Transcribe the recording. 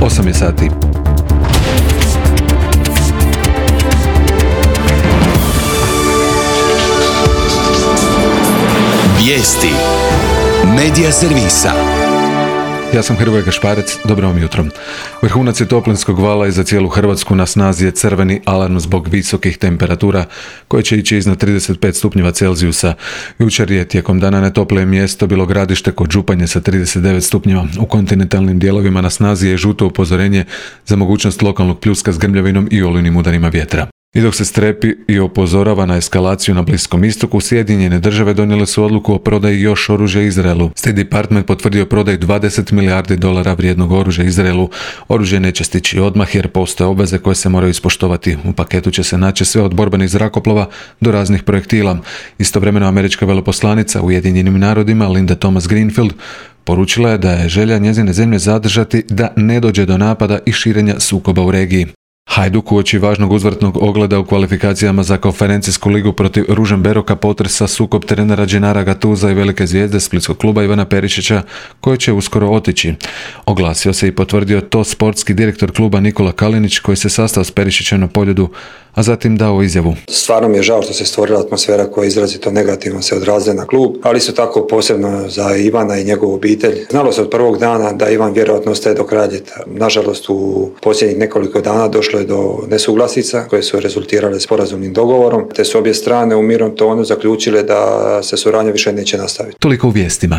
8 je sati. Vijesti Medija servisa. Ja sam Hrvoje Gašparec, dobro vam jutro. Vrhunac je toplinskog vala i za cijelu Hrvatsku. Na snazi je crveni alarm zbog visokih temperatura koje će ići iznad 35 stupnjeva Celzijusa. Jučer je tijekom dana najtoplije mjesto bilo Gradište kod Županje sa 39 stupnjeva. U kontinentalnim dijelovima na snazi je žuto upozorenje za mogućnost lokalnog pljuska s grmljavinom i olujnim udarima vjetra. I dok se strepi i upozorava na eskalaciju na Bliskom istoku, Sjedinjene države donijele su odluku o prodaji još oružja Izraelu. State Department potvrdio prodaju $20 milijardi vrijednog oružja Izraelu. Oružje neće stići odmah jer postoje obveze koje se moraju ispoštovati. U paketu će se naći sve od borbenih zrakoplova do raznih projektila. Istovremeno američka veleposlanica u Ujedinjenim narodima Linda Thomas Greenfield poručila je da je želja njezine zemlje zadržati da ne dođe do napada i širenja sukoba u regiji. Hajduk uoči važnog uzvratnog ogleda u kvalifikacijama za konferencijsku ligu protiv Ružomberoka potresa sukob trenera Dženara Gatuza i velike zvijezde splitskog kluba Ivana Perišića, koji će uskoro otići. Oglasio se i potvrdio to sportski direktor kluba Nikola Kalinić, koji se sastao s Perišićem na Poljudu, a zatim dao izjavu. Stvarno mi je žao što se stvorila atmosfera koja je izrazito negativno se odrazila na klub, ali isto tako posebno za Ivana i njegovu obitelj. Znalo se od prvog dana da Ivan vjerojatno ostaje do kraja ljeta. Nažalost, u posljednjih nekoliko dana došlo je do nesuglasica koje su rezultirale sporazumnim dogovorom, te su obje strane u mirnom tonu zaključile da se suradnja više neće nastaviti. Toliko u vijestima.